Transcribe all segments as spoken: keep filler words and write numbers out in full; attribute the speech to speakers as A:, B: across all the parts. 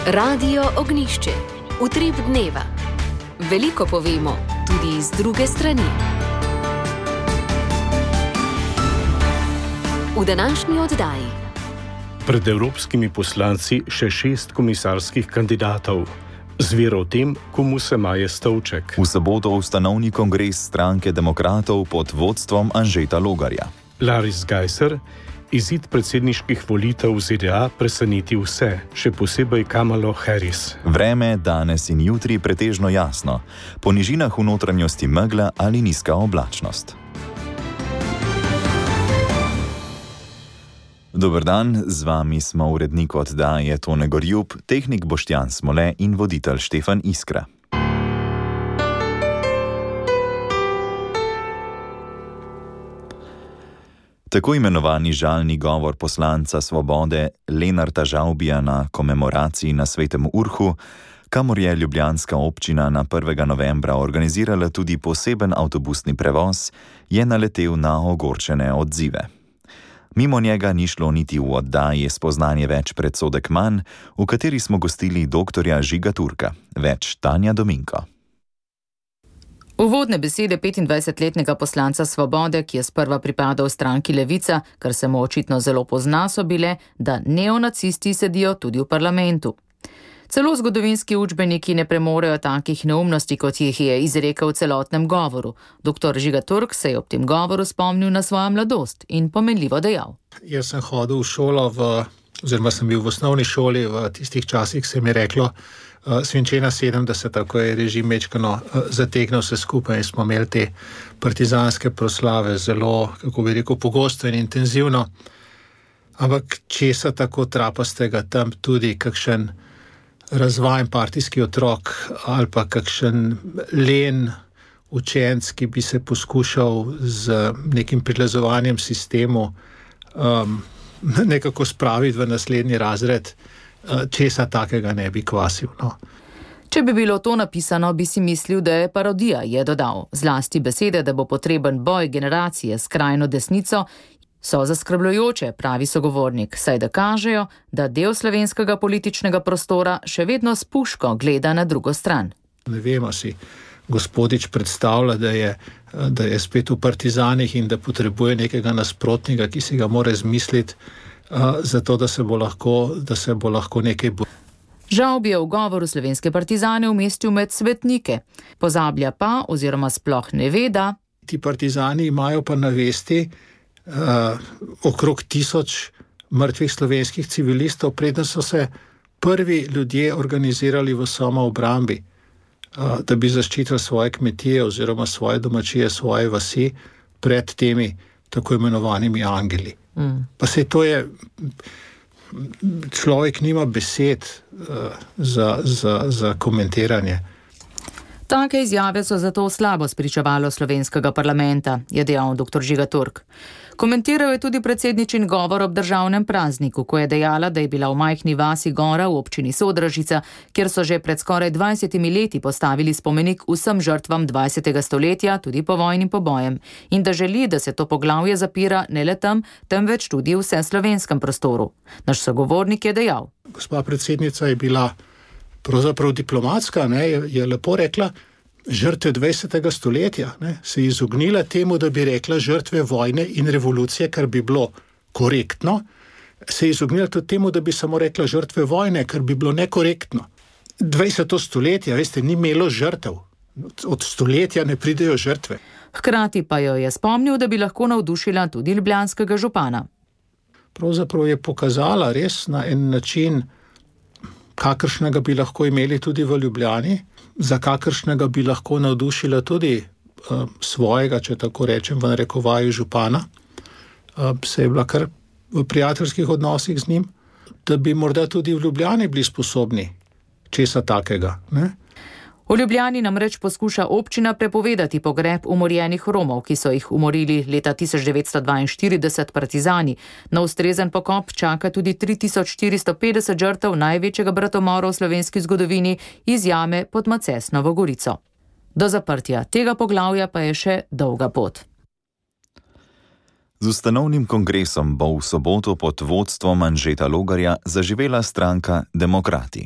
A: Radio Ognišče, utrip dneva. Veliko povemo, tudi z druge strani. V današnji oddaji.
B: Pred evropskimi poslanci še šest komisarskih kandidatov. Zvero o tem, komu se maje stolček.
C: V soboto ustanovni kongres stranke demokratov pod vodstvom Anžeta Logarja.
B: Larry Geiser, izid predsedniških volitev v Z D A preseneti vse, še posebej Kamalo Harris.
C: Vreme danes in jutri pretežno jasno. Po nižinah v notranjosti megla ali nizka oblačnost. Dober dan, z vami smo urednik oddaje Tone Gorjub, tehnik Boštjan Smole in voditelj Štefan Iskra. Tako imenovani žalni govor poslanca Svobode Lenarta Žavbija na komemoraciji na Svetem Urhu, kamor je ljubljanska občina na prvega novembra organizirala tudi poseben avtobusni prevoz, je naletel na ogorčene odzive. Mimo njega ni šlo niti v oddaji Spoznanje več predsodek manj, v kateri smo gostili doktorja Žiga Turka. Več Tanja Dominko.
D: Uvodne besede petindvajsetletnega poslanca Svobode, ki je sprva pripadal stranki Levica, kar se mu očitno zelo pozna, so bile, da neonacisti sedijo tudi v parlamentu. Celo zgodovinski učbeniki ne premorejo takih neumnosti, kot jih je izrekel v celotnem govoru. Doktor Žiga Turk se je ob tem govoru spomnil na svojo mladost in pomenljivo dejal.
E: Jaz sem hodil v šolo, v, oziroma sem bil v osnovni šoli, v tistih časih se mi je reklo, Uh, svinčena sedemdeseta, ko je režim mečkano uh, zategnil vse skupaj in smo imeli te partizanske proslave zelo, kako bi rekel, pogosto in intenzivno. Ampak česa tako trapastega tam tudi kakšen razvajen partijski otrok ali pa kakšen len učenec, ki bi se poskušal z nekim prilazovanjem sistemu um, nekako spraviti v naslednji razred, česa takega ne bi kvasil. No.
D: Če bi bilo to napisano, bi si mislil, da je parodija, je dodal. Zlasti besede, da bo potreben boj generacije s skrajno desnico, so zaskrbljujoče, pravi sogovornik, saj da kažejo, da del slovenskega političnega prostora še vedno s puško gleda na drugo stran.
E: Ne vemo si, gospodič predstavlja, da je, da je spet v partizanih in da potrebuje nekega nasprotnika, ki si ga mora izmisliti, Uh, zato, da se bo lahko, da se bo lahko nekaj bo.
D: Žavbi je v govoru slovenske partizane umestil med svetnike. Pozablja pa, oziroma sploh ne ve, da
E: ti partizani imajo pa na vesti uh, okrog tisoč mrtvih slovenskih civilistov, preden so se prvi ljudje organizirali v samoobrambi, uh, da bi zaščitili svoje kmetije oziroma svoje domačije, svoje vasi pred temi tako imenovanimi angeli. Mm. Pa se to je, človek nima besed uh, za, za, za komentiranje.
D: Take izjave so zato slabo spričevalo slovenskega parlamenta, je dejal doktor Žiga Turk. Komentiral je tudi predsedničin govor ob državnem prazniku, ko je dejala, da je bila v majhni vasi Gora v občini Sodražica, kjer so že pred skoraj dvajsetimi leti postavili spomenik vsem žrtvam dvajsetega stoletja, tudi povojnim pobojem, in da želi, da se to poglavje zapira ne le tam, temveč tudi v vseslovenskem prostoru. Naš sogovornik je dejal.
E: Gospa predsednica je bila pravzaprav diplomatska, ne, je, je lepo rekla, žrtve dvajsetega stoletja, ne, se je izognila temu, da bi rekla žrtve vojne in revolucije, kar bi bilo korektno, se je izognila tudi temu, da bi samo rekla žrtve vojne, kar bi bilo nekorektno. dvajseto stoletje, veste, ni imelo žrtev. Od stoletja ne pridejo žrtve.
D: Hkrati pa jo je spomnil, da bi lahko navdušila tudi ljubljanskega župana.
E: Pravzaprav je pokazala res na en način, kakršnega bi lahko imeli tudi v Ljubljani, za kakršnega bi lahko navdušila tudi uh, svojega, če tako rečem, v narekovaju župana, uh, se je bila kar v prijateljskih odnosih z njim, da bi morda tudi v Ljubljani bili sposobni česa takega, ne?
D: V Ljubljani namreč poskuša občina prepovedati pogreb umorjenih Romov, ki so jih umorili leta tisoč devetsto dvainštirideset partizani. Na ustrezen pokop čaka tudi tri tisoč štiristo petdeset žrtev največjega bratomora v slovenski zgodovini iz jame pod Macesnovo Gorico. Do zaprtja tega poglavja pa je še dolga pot.
C: Z ustanovnim kongresom bo v soboto pod vodstvom Anžeta Logarja zaživela stranka Demokrati.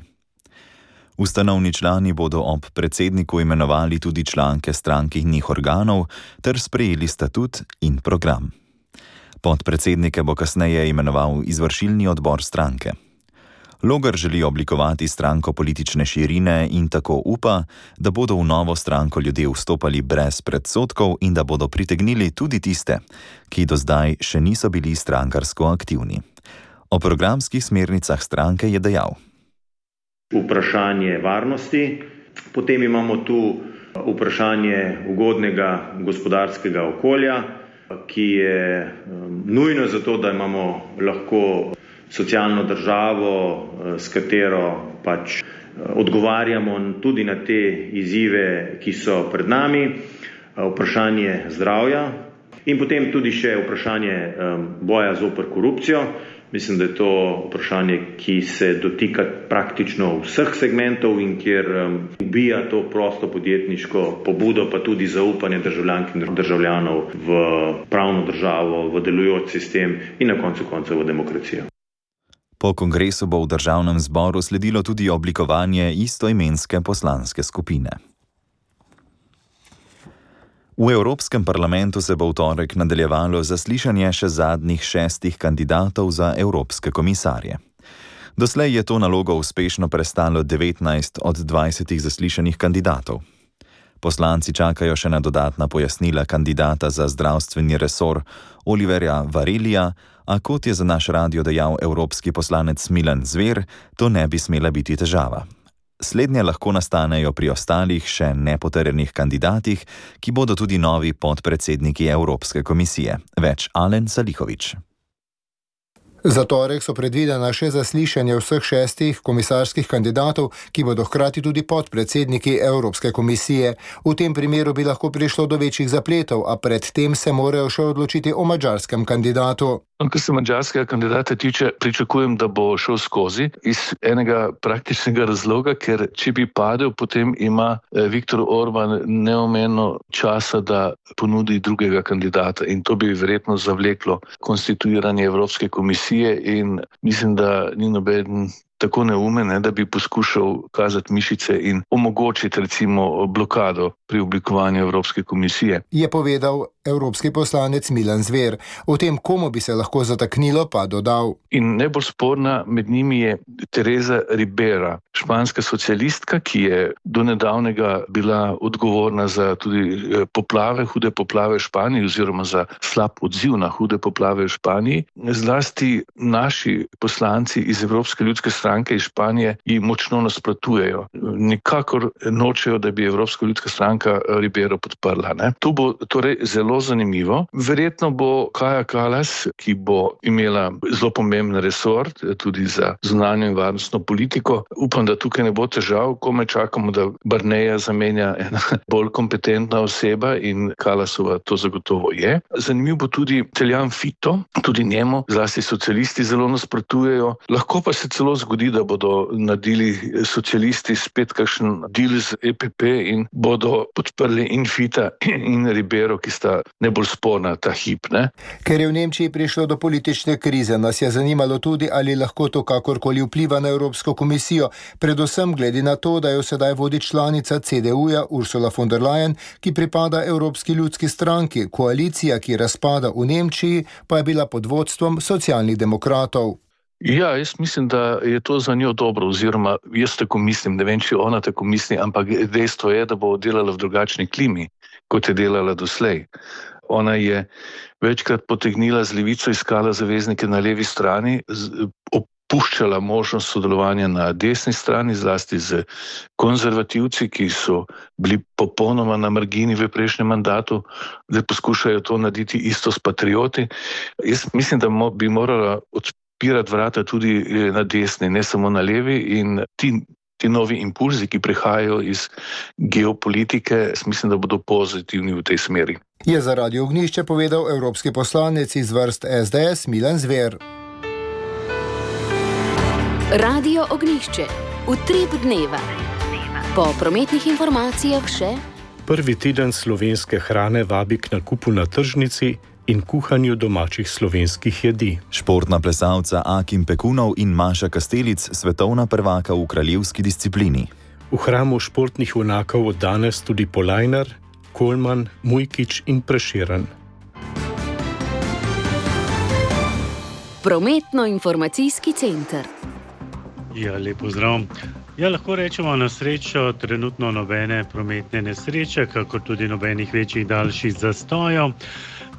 C: Ustanovni člani bodo ob predsedniku imenovali tudi članke strankinih organov ter sprejeli statut in program. Podpredsednike bo kasneje imenoval izvršilni odbor stranke. Logar želi oblikovati stranko politične širine in tako upa, da bodo v novo stranko ljudje vstopali brez predsodkov in da bodo pritegnili tudi tiste, ki do zdaj še niso bili strankarsko aktivni. O programskih smernicah stranke je dejal:
F: Vprašanje varnosti, potem imamo tu vprašanje ugodnega gospodarskega okolja, ki je nujno zato, da imamo lahko socialno državo, s katero pač odgovarjamo tudi na te izzive, ki so pred nami, vprašanje zdravja in potem tudi še vprašanje boja zoper korupcijo. Mislim, da je to vprašanje, ki se dotika praktično vseh segmentov in kjer ubija to prosto podjetniško pobudo, pa tudi zaupanje državljank in državljanov v pravno državo, v delujoč sistem in na koncu koncev v demokracijo.
C: Po kongresu bo v državnem zboru sledilo tudi oblikovanje istoimenske poslanske skupine. V Evropskem parlamentu se bo v torek nadaljevalo zaslišanje še zadnjih šestih kandidatov za evropske komisarje. Doslej je to nalogo uspešno prestalo devetnajst od dvajsetih zaslišanih kandidatov. Poslanci čakajo še na dodatna pojasnila kandidata za zdravstveni resor Oliverja Varelija, a kot je za naš radio dejal evropski poslanec Milan Zver, to ne bi smela biti težava. Slednje lahko nastanejo pri ostalih še nepotrjenih kandidatih, ki bodo tudi novi podpredsedniki Evropske komisije. Več Alen Salihović.
G: Za torek so predvidena še zaslišanje vseh šestih komisarskih kandidatov, ki bodo hkrati tudi podpredsedniki Evropske komisije. V tem primeru bi lahko prišlo do večjih zapletov, a pred tem se morajo še odločiti o madžarskem kandidatu.
H: Kar se madžarskega kandidata tiče, pričakujem, da bo šel skozi iz enega praktičnega razloga, ker če bi padel, potem ima Viktor Orban neomejeno časa, da ponudi drugega kandidata in to bi verjetno zavleklo konstituiranje Evropske komisije in mislim, da ni noben tako neumen, da bi poskušal kazati mišice in omogočiti recimo blokado pri oblikovanju Evropske komisije.
G: Je povedal evropski poslanec Milan Zver. O tem, komu bi se lahko zataknilo, pa dodal.
H: In najbolj sporna med njimi je Teresa Ribera, španska socialistka, ki je do nedavnega bila odgovorna za tudi poplave, hude poplave v Španiji oziroma za slab odziv na hude poplave v Španiji. Zlasti naši poslanci iz Evropske ljudske stranke iz Španije ji močno nasprotujejo. Nikakor nočejo, da bi Evropska ljudska stranka Ribero podprla. Ne? To bo torej zelo zanimivo. Verjetno bo Kaja Kallas, ki bo imela zelo pomemben resor, tudi za zunanjo in varnostno politiko. Upam, da tukaj ne bo težav, komaj čakamo, da Barneja zamenja ena bolj kompetentna oseba in Kallasova to zagotovo je. Zanimiv bo tudi Teljan Fito, tudi njemu, zlasti socialisti zelo nasprotujejo. Lahko pa se celo zgodi, da bodo naredili socialisti spet kakšen deal z E P P in bodo podprli in Fita in Ribero, ki sta najbolj sporna ta hip. Ne?
G: Ker je v Nemčiji prišlo do politične krize, nas je zanimalo tudi, ali lahko to kakorkoli vpliva na Evropsko komisijo, predvsem glede na to, da jo sedaj vodi članica C D U-ja Ursula von der Leyen, ki pripada Evropski ljudski stranki. Koalicija, ki razpada v Nemčiji, pa je bila pod vodstvom socialnih demokratov.
H: Ja, jaz mislim, da je to za njo dobro, oziroma jaz tako mislim, ne vem, če ona tako misli, ampak dejstvo je, da bo delala v drugačni klimi, kot je delala doslej. Ona je večkrat potegnila z levico, iskala zaveznike na levi strani, opuščala možnost sodelovanja na desni strani, zlasti z konzervativci, ki so bili popolnoma na margini v prejšnjem mandatu, da poskušajo to narediti isto s patrioti. Jaz mislim, da bi morala odpirati vrata tudi na desni, ne samo na levi, in ti, ti novi impulzi, ki prihajajo iz geopolitike, mislim, da bodo pozitivni v tej smeri.
G: Je za Radio Ognjišče povedal evropski poslanec iz vrst S D S Milan Zver.
A: Radio Ognjišče. Utrip dneva. Po prometnih informacijah še
B: prvi teden slovenske hrane vabi k nakupu na tržnici in kuhanju domačih slovenskih jedi.
C: Športna plesalca Akim Pekunov in Maša Kastelic, svetovna prvaka v kraljevski disciplini.
B: V hramu športnih junakov od danes tudi Polajnar, Kolman, Mujkič in Prešeren.
A: Prometno-informacijski center.
I: Ja, lep pozdrav. Ja, lahko rečemo na srečo trenutno nobene prometne nesreče, kakor tudi nobenih večjih daljših zastojev.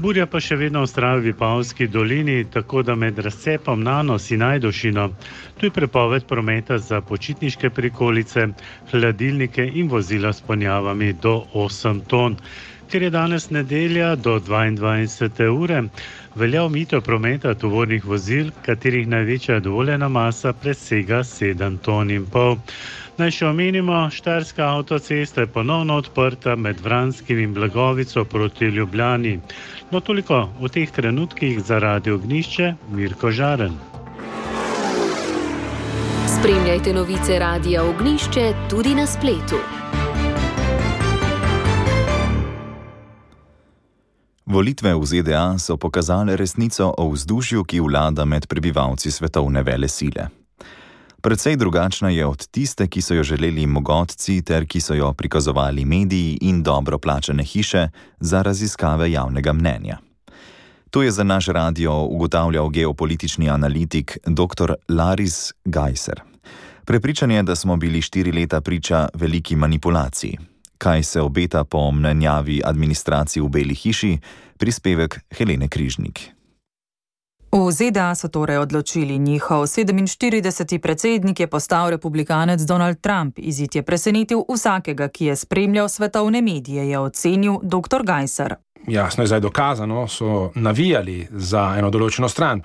I: Burja pa še vedno vztraja v Vipavski dolini, tako da med razcepom Nanos in Ajdošino tu je prepoved prometa za počitniške prikolice, hladilnike in vozila s ponjavami do osem ton. Ker je danes nedelja do dvaindvajsete ure, velja omejitev prometa tovornih vozil, katerih največja dovoljena masa presega sedem ton in pol. Naj še omenimo, Štajerska avtocesta je ponovno odprta med Vranskim in Blagovico proti Ljubljani. No, toliko v teh trenutkih za Radio Ognjišče, Mirko Žaren.
A: Spremljajte novice Radia Ognjišče tudi na spletu.
C: Volitve v Z D A so pokazale resnico o vzdušju, ki vlada med prebivalci svetovne velesile. Precej drugačna je od tiste, ki so jo želeli mogotci ter ki so jo prikazovali mediji in dobro plačane hiše za raziskave javnega mnenja. To je za naš radio ugotavljal geopolitični analitik dr. Laris Gajser. Prepričan je, da smo bili štiri leta priča veliki manipulaciji. Kaj se obeta po mnenjavi administraciji v Beli hiši, prispevek Helene Križnik.
D: V Z D A so torej odločili, njihov sedeminštirideseti predsednik je postal republikanec Donald Trump. Izid je presenetil vsakega, ki je spremljal svetovne medije, je ocenil dr. Gajser.
J: Jasno je zdaj dokazano, so navijali za eno določeno stran.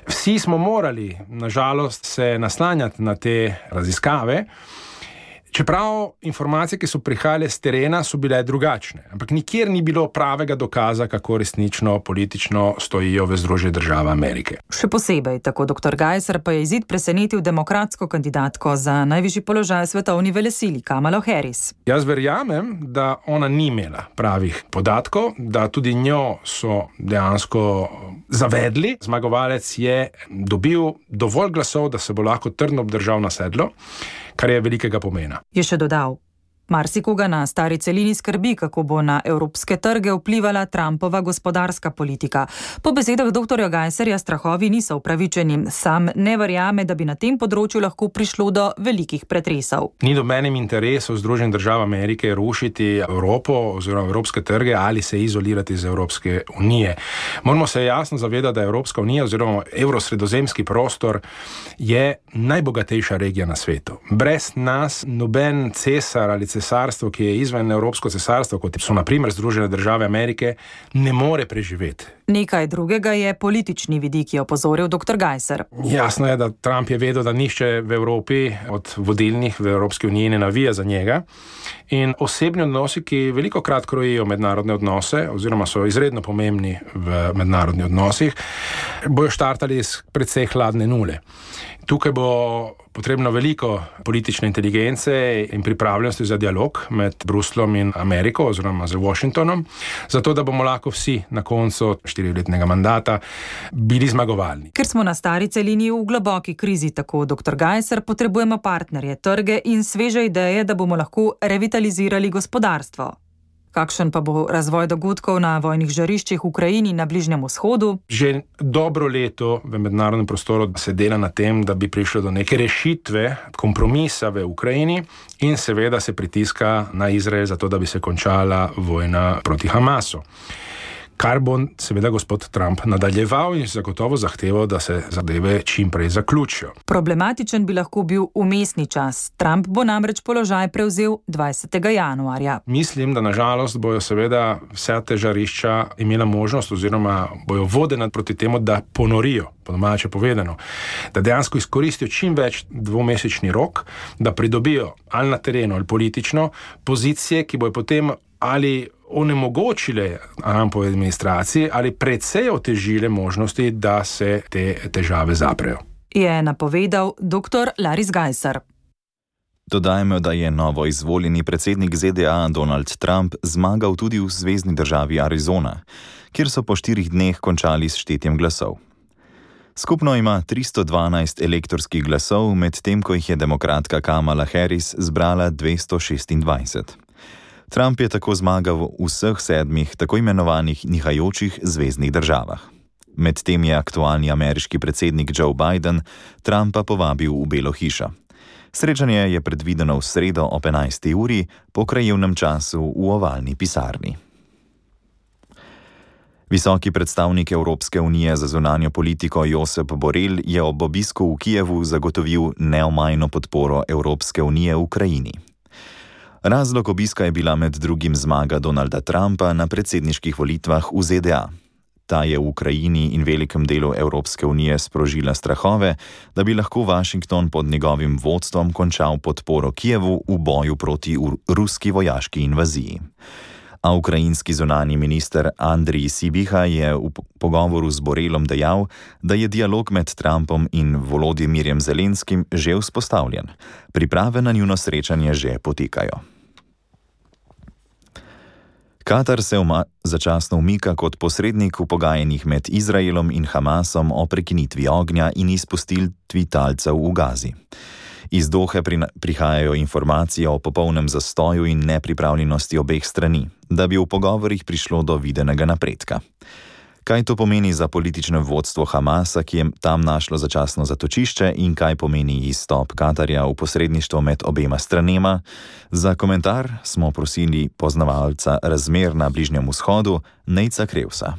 J: Vsi smo morali, nažalost, se naslanjati na te raziskave, čeprav informacije, ki so prihajale z terena, so bile drugačne. Ampak nikjer ni bilo pravega dokaza, kako resnično politično stojijo v Združenih državah Amerike.
D: Še posebej, tako dr. Gajser, pa je izid presenetil demokratsko kandidatko za najvišji položaj svetovni velesili, Kamalo Harris.
J: Jaz verjamem, da ona ni imela pravih podatkov, da tudi njo so dejansko zavedli. Zmagovalec je dobil dovolj glasov, da se bo lahko trdno obdržal na sedlo, kar je velikega pomena.
D: Je še dodal, marsikoga na stari celini skrbi, kako bo na evropske trge vplivala Trumpova gospodarska politika. Po besedah dr. Gajserja strahovi niso upravičeni. Sam ne verjame, da bi na tem področju lahko prišlo do velikih pretresov.
J: Ni dobenem interesu Združenih držav Amerike rušiti Evropo oziroma evropske trge ali se izolirati iz Evropske unije. Moramo se jasno zavedati, da Evropska unija oziroma evrosredozemski prostor je najbogatejša regija na svetu. Brez nas noben cesar ali cesarstvo, ki je izven Evropsko cesarstvo, kot so na primer Združene države Amerike, ne more preživeti.
D: Nekaj drugega je politični vidik, je opozoril dr. Gajser.
J: Jasno je, da Trump je vedel, da nihče v Evropi od vodilnih v Evropski uniji ne navija za njega. In osebni odnosi, ki veliko krat krojijo mednarodne odnose, oziroma so izredno pomembni v mednarodnih odnosih, bojo štartali iz precej hladne nule. Tukaj bo potrebno veliko politične inteligence in pripravljenosti za dialog med Bruslom in Ameriko oziroma z Washingtonom, zato da bomo lahko vsi na koncu štiriletnega mandata bili zmagovalni.
D: Ker smo na stari celini v globoki krizi, tako dr. Gajser, potrebujemo partnerje, trge in sveže ideje, da bomo lahko revitalizirali gospodarstvo. Kakšen pa bo razvoj dogodkov na vojnih žariščih v Ukrajini na Bližnjem vzhodu?
J: Že dobro leto v mednarodnem prostoru se dela na tem, da bi prišlo do neke rešitve, kompromisa v Ukrajini in seveda se pritiska na Izrael za to, da bi se končala vojna proti Hamasu. Kar bo seveda gospod Trump nadaljeval in zagotovo zahteval, da se zadeve čim prej zaključijo.
D: Problematičen bi lahko bil vmesni čas. Trump bo namreč položaj prevzel dvajsetega januarja.
J: Mislim, da nažalost bojo seveda vse te žarišča imela možnost oziroma bojo vodena proti temu, da ponorijo, po domače povedano, da dejansko izkoristijo čim več dvomesečni rok, da pridobijo ali na terenu ali politično pozicije, ki bojo potem ali onemogočile Trumpovi administraciji ali precej otežile možnosti, da se te težave zaprejo.
D: Je napovedal dr. Laris Gajser.
C: Dodajmo, da je novo izvoljeni predsednik Z D A Donald Trump zmagal tudi v zvezni državi Arizona, kjer so po štirih dneh končali s štetjem glasov. Skupno ima tristo dvanajst elektorskih glasov, medtem ko jih je demokratka Kamala Harris zbrala dvesto šestindvajset. Trump je tako zmagal v vseh sedmih tako imenovanih nihajočih zveznih državah. Medtem je aktualni ameriški predsednik Joe Biden Trumpa povabil v Belo hišo. Srečanje je predvideno v sredo ob enajsti uri po krajevnem času v ovalni pisarni. Visoki predstavnik Evropske unije za zunanjo politiko Josep Borrell je ob obisku v Kijevu zagotovil neomajno podporo Evropske unije v Ukrajini. Razlog obiska je bila med drugim zmaga Donalda Trumpa na predsedniških volitvah v Z D A. Ta je v Ukrajini in velikem delu Evropske unije sprožila strahove, da bi lahko Washington pod njegovim vodstvom končal podporo Kijevu v boju proti ruski vojaški invaziji. A ukrajinski zunanji minister Andrij Sibiha je v pogovoru z Borrellom dejal, da je dialog med Trumpom in Volodymyrjem Zelenskim že vzpostavljen. Priprave na njuno srečanje že potekajo. Katar se uma, začasno umika kot posrednik v pogajanjih med Izraelom in Hamasom o prekinitvi ognja in izpustitvi talcev v Gazi. Iz Dohe prihajajo informacije o popolnem zastoju in nepripravljenosti obeh strani, da bi v pogovorih prišlo do videnega napredka. Kaj to pomeni za politično vodstvo Hamasa, ki je tam našlo začasno zatočišče, in kaj pomeni izstop Katarja v posredništvo med obema stranema? Za komentar smo prosili poznavalca razmer na Bližnjem vzhodu, Nejca Krevsa.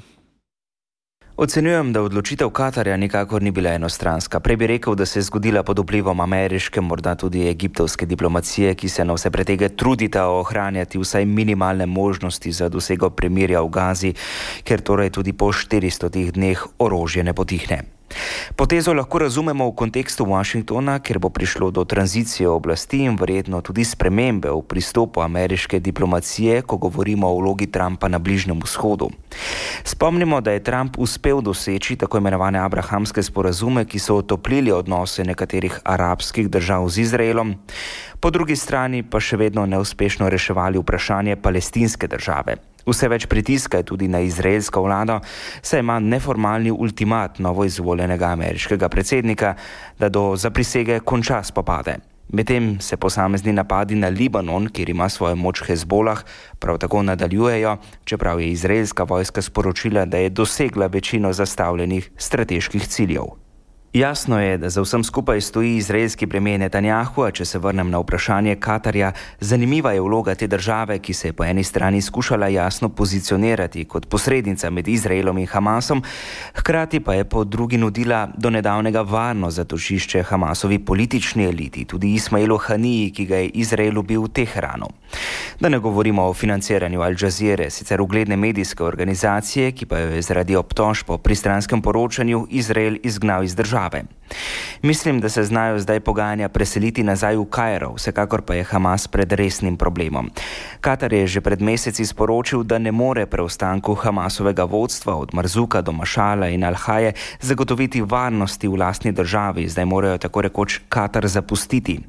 K: Ocenjujem, da odločitev Katarja nikakor ni bila enostranska. Prej bi rekel, da se je zgodila pod vplivom ameriške, morda tudi egiptovske diplomacije, ki se na vse pretege trudita ohranjati vsaj minimalne možnosti za dosego premirja v Gazi, ker torej tudi po štiristotih dneh orožje ne potihne. Potezo lahko razumemo v kontekstu Washingtona, ker bo prišlo do tranzicije oblasti in verjetno tudi spremembe v pristopu ameriške diplomacije, ko govorimo o vlogi Trumpa na Bližnjem vzhodu. Spomnimo, da je Trump uspel doseči tako imenovane abrahamske sporazume, ki so otoplili odnose nekaterih arabskih držav z Izraelom, po drugi strani pa še vedno neuspešno reševali vprašanje palestinske države. Vse več pritiska je tudi na izraelsko vlado, saj ima neformalni ultimat novoizvoljenega ameriškega predsednika, da do zaprisege konča spopade. Medtem se posamezni napadi na Libanon, kjer ima svojo moč Hezbolah, prav tako nadaljujejo, čeprav je izraelska vojska sporočila, da je dosegla večino zastavljenih strateških ciljev. Jasno je, da za vsem skupaj stoji izraelski premijer Netanjahu, a če se vrnem na vprašanje Katarja, zanimiva je vloga te države, ki se je po eni strani skušala jasno pozicionirati kot posrednica med Izraelom in Hamasom, hkrati pa je po drugi nudila do nedavnega varno zatočišče Hamasovi politični eliti, tudi Ismailu Haniji, ki ga je Izrael ubil v Teheranu. Da ne govorimo o financiranju Al Jazeere, sicer ugledne medijske organizacije, ki pa jo je zaradi obtožb po pristranskem poročanju Izrael izgnal iz države. Mislim, da se znajo zdaj pogajanja preseliti nazaj v Kairo, vsekakor pa je Hamas pred resnim problemom. Katar je že pred meseci sporočil, da ne more preostanku Hamasovega vodstva od Marzuka do Mašala in Al-Haje zagotoviti varnosti v lastni državi, zdaj morajo tako rekoč Katar zapustiti.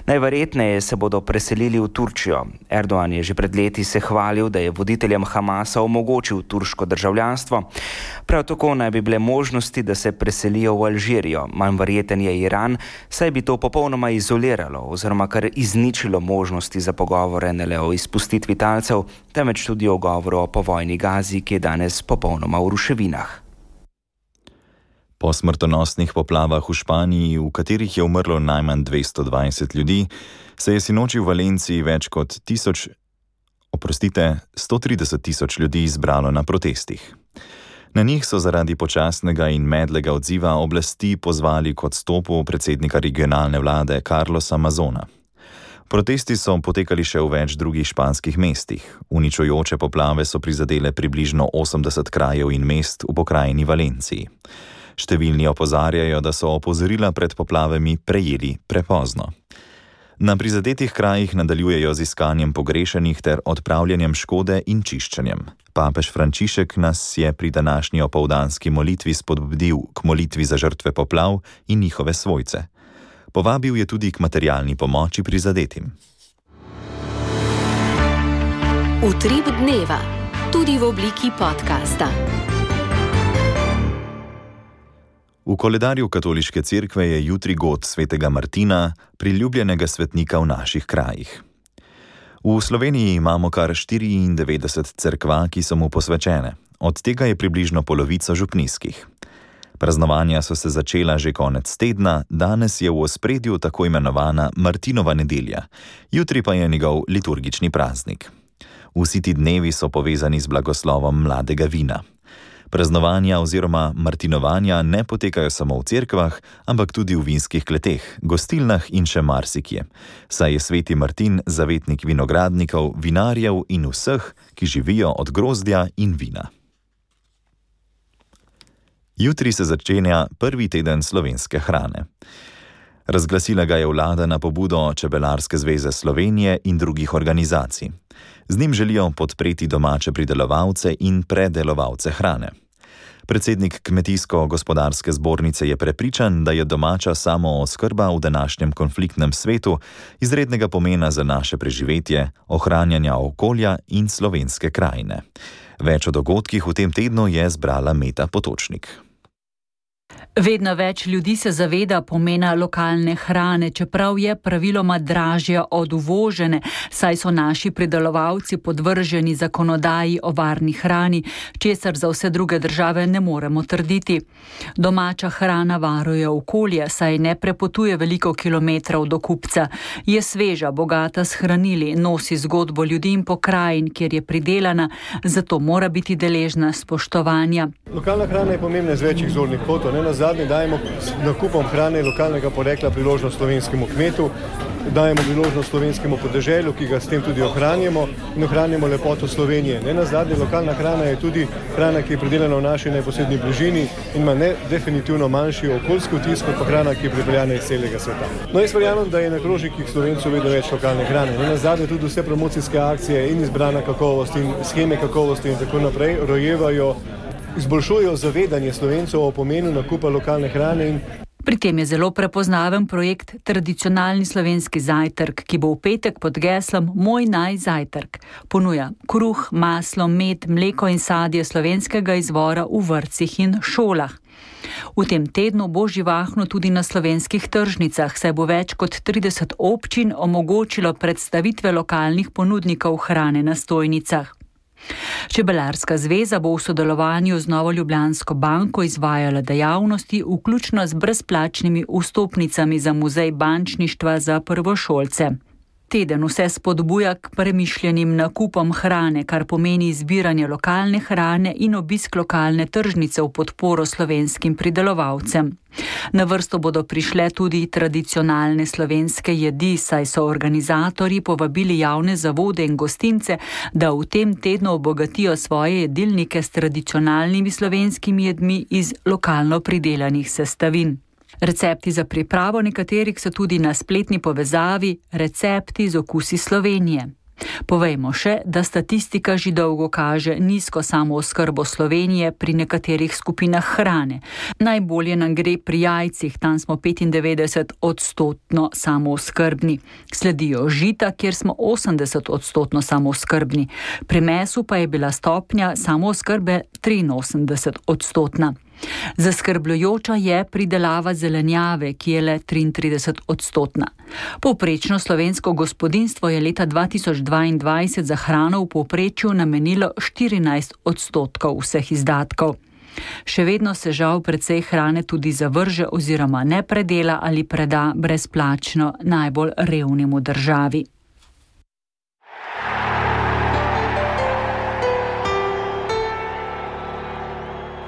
K: Najverjetneje se bodo preselili v Turčijo. Erdogan je že pred leti se hvalil, da je voditeljem Hamasa omogočil turško državljanstvo. Prav tako naj bi bile možnosti, da se preselijo v Alžirijo. Manj verjeten je Iran, saj bi to popolnoma izoliralo oziroma kar izničilo možnosti za pogovore ne le o izpustitvi talcev, temveč tudi o govoru o povojni Gazi, ki je danes popolnoma v ruševinah.
C: Po smrtonosnih poplavah v Španiji, v katerih je umrlo najmanj dvesto dvajset ljudi, se je sinoči v Valenciji več kot tisoč, oprostite, sto trideset tisoč ljudi zbralo na protestih. Na njih so zaradi počasnega in medlega odziva oblasti pozvali k odstopu predsednika regionalne vlade Carlosa Mazona. Protesti so potekali še v več drugih španskih mestih. Uničujoče poplave so prizadele približno osemdeset krajev in mest v pokrajini Valenciji. Številni opozarjajo, da so opozorila pred poplavami prejeli prepozno. Na prizadetih krajih nadaljujejo z iskanjem pogrešenih ter odpravljanjem škode in čiščenjem. Papež Frančišek nas je pri današnji opoldanski molitvi spodbudil k molitvi za žrtve poplav in njihove svojce. Povabil je tudi k materialni pomoči prizadetim.
A: Utrip dneva, tudi v obliki podcasta.
C: V koledarju katoliške cerkve je jutri god svetega Martina, priljubljenega svetnika v naših krajih. V Sloveniji imamo kar štiriindevetdeset cerkva, ki so mu posvečene. Od tega je približno polovica župnijskih. Praznovanja so se začela že konec tedna, danes je v ospredju tako imenovana Martinova nedelja, jutri pa je njegov liturgični praznik. Vsi ti dnevi so povezani z blagoslovom mladega vina. Praznovanja oziroma martinovanja ne potekajo samo v cerkvah, ampak tudi v vinskih kleteh, gostilnah in še marsikje, saj je sveti Martin zavetnik vinogradnikov, vinarjev in vseh, ki živijo od grozdja in vina. Jutri se začenja prvi teden slovenske hrane. Razglasila ga je vlada na pobudo Čebelarske zveze Slovenije in drugih organizacij. Z njim želijo podpreti domače pridelovalce in predelovalce hrane. Predsednik Kmetijsko-gospodarske zbornice je prepričan, da je domača samooskrba v današnjem konfliktnem svetu izrednega pomena za naše preživetje, ohranjanja okolja in slovenske krajine. Več o dogodkih v tem tednu je zbrala Meta Potočnik.
L: Vedno več ljudi se zaveda pomena lokalne hrane, čeprav je praviloma dražja od uvožene, saj so naši pridelovalci podvrženi zakonodaji o varni hrani, česar za vse druge države ne moremo trditi. Domača hrana varuje okolje, saj ne prepotuje veliko kilometrov do kupca. Je sveža, bogata s hranili, nosi zgodbo ljudi in pokrajin, kjer je pridelana, zato mora biti deležna spoštovanja.
M: Lokalna hrana je pomembna z večjih zornih kotov. Ne nazadnje dajemo nakupom hrane lokalnega porekla priložnost slovenskemu kmetu, dajemo priložnost slovenskemu podeželju, ki ga s tem tudi ohranjamo in ohranjamo lepoto Slovenije. Ne nazadnje, lokalna hrana je tudi hrana, ki je pridelana v naši neposredni bližini in ima ne definitivno manjši okoljski vtis kot pa hrana, ki je pripeljana iz celega sveta. No, jaz verjamem, da je na krožnikih Slovencev vedno več lokalne hrane. Ne nazadnje tudi vse promocijske akcije in izbrana kakovost in sheme kakovosti in tako naprej rojevajo, izboljšujejo zavedanje Slovencev o pomenu nakupa lokalne hrane. In
L: pri tem je zelo prepoznaven projekt Tradicionalni slovenski zajtrk, ki bo v petek pod geslom Moj naj zajtrk. Ponuja kruh, maslo, med, mleko in sadje slovenskega izvora v vrtcih in šolah. V tem tednu bo živahno tudi na slovenskih tržnicah, saj bo več kot trideset občin omogočilo predstavitve lokalnih ponudnikov hrane na stojnicah. Čebelarska zveza bo v sodelovanju z Novo Ljubljansko banko izvajala dejavnosti, vključno z brezplačnimi vstopnicami za muzej bančništva za prvošolce. Teden vse spodbuja k premišljenim nakupom hrane, kar pomeni zbiranje lokalne hrane in obisk lokalne tržnice v podporo slovenskim pridelovalcem. Na vrsto bodo prišle tudi tradicionalne slovenske jedi, saj so organizatorji povabili javne zavode in gostince, da v tem tednu obogatijo svoje jedilnike s tradicionalnimi slovenskimi jedmi iz lokalno pridelanih sestavin. Recepti za pripravo nekaterih so tudi na spletni povezavi Recepti z okusi Slovenije. Povejmo še, da statistika že dolgo kaže nizko samooskrbo Slovenije pri nekaterih skupinah hrane. Najbolje nam gre pri jajcih, tam smo petindevetdeset odstotno samooskrbni. Sledijo žita, kjer smo osemdeset odstotno samooskrbni. Pri mesu pa je bila stopnja samooskrbe triinosemdeset odstotna. Zaskrbljujoča je pridelava zelenjave, ki je le triintrideset odstotna. Povprečno slovensko gospodinjstvo je leta dva tisoč dvaindvajset za hrano v povprečju namenilo štirinajst odstotkov vseh izdatkov. Še vedno se žal precej hrane tudi zavrže oziroma ne predela ali preda brezplačno najbolj revnim v državi.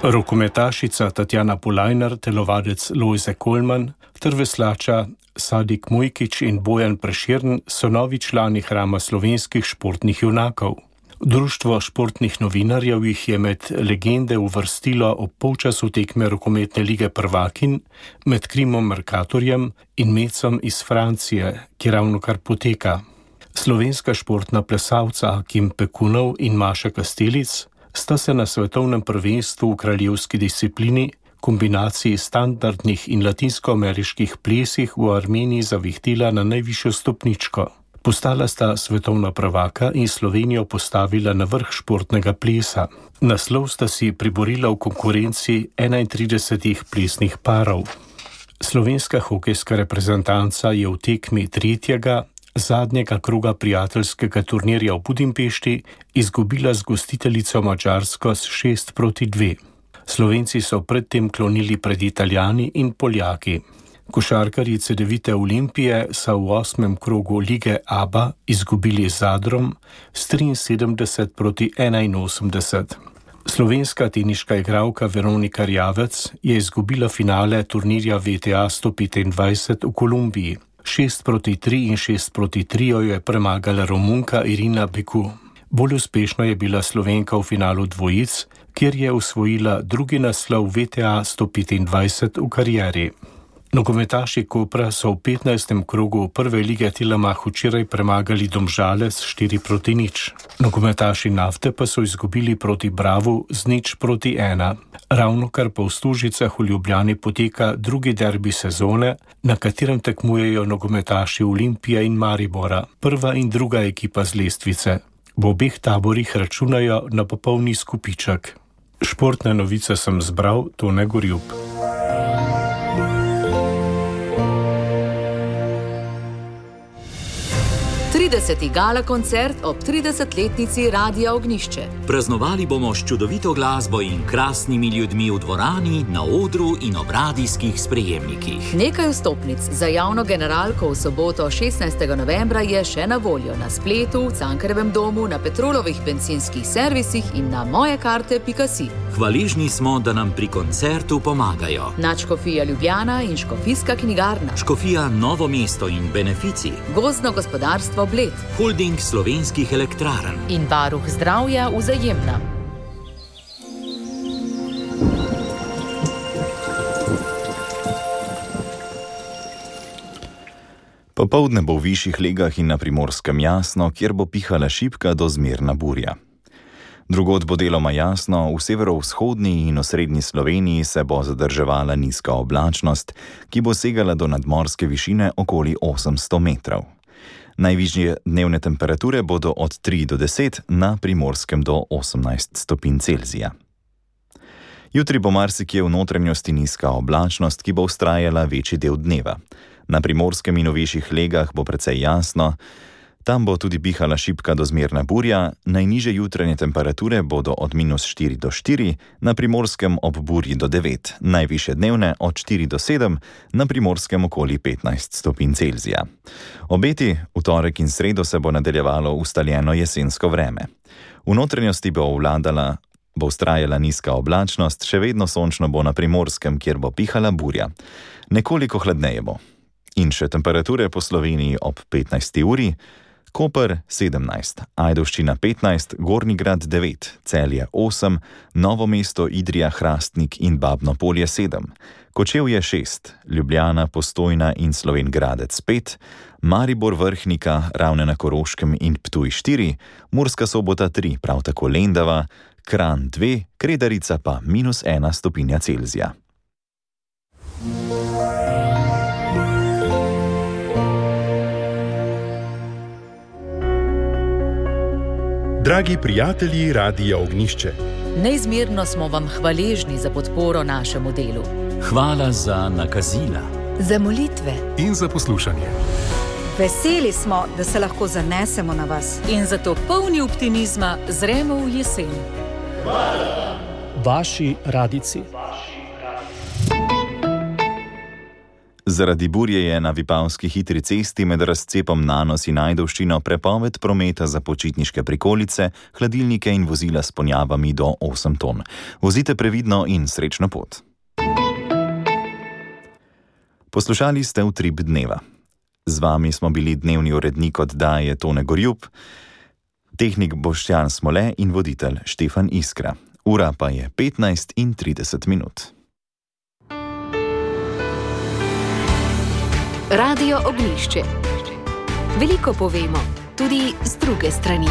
B: Rokometašica Tatjana Polajnar, telovadec Lojze Kolman ter veslača Sadik Mujkič in Bojan Prešern so novi člani hrama slovenskih športnih junakov. Društvo športnih novinarjev jih je med legende uvrstilo ob polčasu tekme rokometne lige prvakin med Krimom Mercatorjem in Mecom iz Francije, ki ravno kar poteka. Slovenska športna plesalca Akim Pekunov in Maša Kastelic sta se na svetovnem prvenstvu v kraljevski disciplini, kombinaciji standardnih in latinskoameriških plesih v Armeniji zavihtela na najvišjo stopničko. Postala sta svetovna prvaka in Slovenijo postavila na vrh športnega plesa. Naslov sta si priborila v konkurenci enaintridesetih plesnih parov. Slovenska hokejska reprezentanca je v tekmi tretjega, zadnjega kroga prijateljskega turnirja v Budimpešti izgubila z gostiteljico Madžarsko s šest proti dve. Slovenci so predtem klonili pred Italijani in Poljaki. Košarkarji Cedevite Olimpije so v osmem krogu lige A B A izgubili z Zadrom s triinsedemdeset proti enainosemdeset. Slovenska teniška igralka Veronika Rjavec je izgubila finale turnirja V T A sto petindvajset v Kolumbiji. šest proti tri in šest proti tri jo je premagala Romunka Irina Beku. Bolj uspešna je bila Slovenka v finalu dvojic, kjer je osvojila drugi naslov V T A sto petindvajset v karieri. Nogometaši Kopra so v petnajstem krogu prve lige Tilamah včeraj premagali Domžale s štiri proti nič. Nogometaši Nafte pa so izgubili proti Bravu z nič proti ena. Ravnokar pa v Stožicah v Ljubljani poteka drugi derbi sezone, na katerem tekmujejo nogometaši Olimpije in Maribora, prva in druga ekipa z lestvice. V obeh taborih računajo na popolni skupiček. Športne novice sem zbral, Tone Gorjup.
A: trideseti gala koncert ob tridesetletnici Radia Ognišče.
N: Praznovali bomo s čudovito glasbo in krasnimi ljudmi v dvorani, na odru in ob radijskih sprejemnikih.
A: Nekaj vstopnic za javno generalko v soboto šestnajstega novembra je še na voljo na spletu, v Cankarjevem domu, na Petrolovih bencinskih servisih in na mojekarte pika si.
N: Hvaležni smo, da nam pri koncertu pomagajo
A: Nadškofija Ljubljana in Škofijska knjigarna,
N: Škofija Novo mesto in Benefici,
A: Gozdno gospodarstvo Bled,
N: Holding slovenskih elektrarn
A: in Varuh zdravja Vzajemna.
C: Popoldne bo v višjih legah in na Primorskem jasno, kjer bo pihala šibka do zmerna burja. Drugod bo deloma jasno, v severovzhodni in osrednji Sloveniji se bo zadrževala nizka oblačnost, ki bo segala do nadmorske višine okoli osemsto metrov. Najvišje dnevne temperature bodo od tri do deset, na Primorskem do osemnajst stopinj Celzija. Jutri bo marsikje v notranjosti nizka oblačnost, ki bo vztrajala večji del dneva. Na Primorskem in v višjih legah bo precej jasno, tam bo tudi pihala šibka do zmerna burja, najnižje jutranje temperature bodo od minus štiri do štiri, na Primorskem ob burji do devet, najvišje dnevne od štiri do sedem, na Primorskem okoli petnajst stopinj Celzija. Obeti, v torek in sredo se bo nadaljevalo ustaljeno jesensko vreme. V notranjosti bo vladala, bo vztrajala nizka oblačnost, še vedno sončno bo na Primorskem, kjer bo pihala burja. Nekoliko hladneje bo. In še temperature po Sloveniji ob petnajsti uri, Koper sedemnajst, Ajdovščina petnajst, Gornji Grad devet, Celje osem, Novo mesto, Idrija, Hrastnik in Babno Polje sedem, Kočevje šest, Ljubljana, Postojna in Slovenj Gradec pet, Maribor, Vrhnika, Ravne na Koroškem in Ptuj štiri, Murska Sobota tri, prav tako Lendava, Kranj dve, Kredarica pa minus ena stopinja Celzija.
O: Dragi prijatelji Radia Ognišče,
A: neizmerno smo vam hvaležni za podporo našemu delu.
N: Hvala za nakazila,
P: za molitve
O: in za poslušanje.
P: Veseli smo, da se lahko zanesemo na vas.
A: In zato polni optimizma zremo v jesen.
Q: Hvala. Vaši radici.
C: Zaradi burje je na Vipavski hitri cesti med razcepom Nanos in Ajdovščino prepoved prometa za počitniške prikolice, hladilnike in vozila s ponjavami do osem ton. Vozite previdno in srečno pot. Poslušali ste Utrip dneva. Z vami smo bili dnevni urednik oddaje Tone Gorjup, tehnik Boštjan Smole in voditelj Štefan Iskra. Ura pa je petnajst in trideset minut.
A: Radio Ognišče. Veliko povemo, tudi z druge strani.